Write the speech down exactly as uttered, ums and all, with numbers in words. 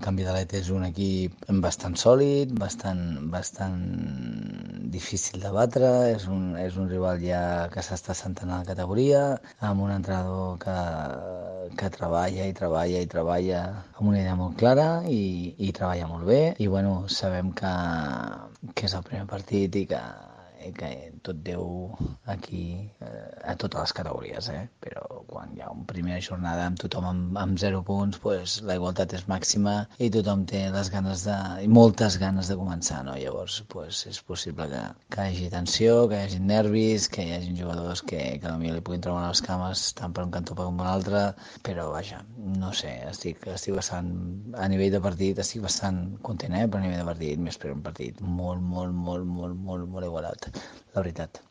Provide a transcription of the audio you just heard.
Canvi de l'Et és un equip bastant sòlid, bastant, bastant difícil de batre, és un, és un rival ja que s'està assentant a la categoria, amb un entrenador que, que treballa i treballa i treballa amb una idea molt clara i, i treballa molt bé, i bueno, sabem que, que és el primer partit i que i que tot deu aquí eh, a totes les categories, eh? Però quan hi ha una primera jornada amb tothom amb, amb zero punts, pues, la igualtat és màxima i tothom té les ganes de, i moltes ganes de començar, no? Llavors pues, és possible que, que hi hagi tensió, que hi hagi nervis, que hi hagi jugadors que, que potser li puguin treure les cames tant per un cantó com per un altre, però vaja, no sé, estic, estic bastant, a nivell de partit estic bastant content, eh? Però a nivell de partit m'espero un partit molt, molt, molt, molt, molt, molt igualat, la veritat.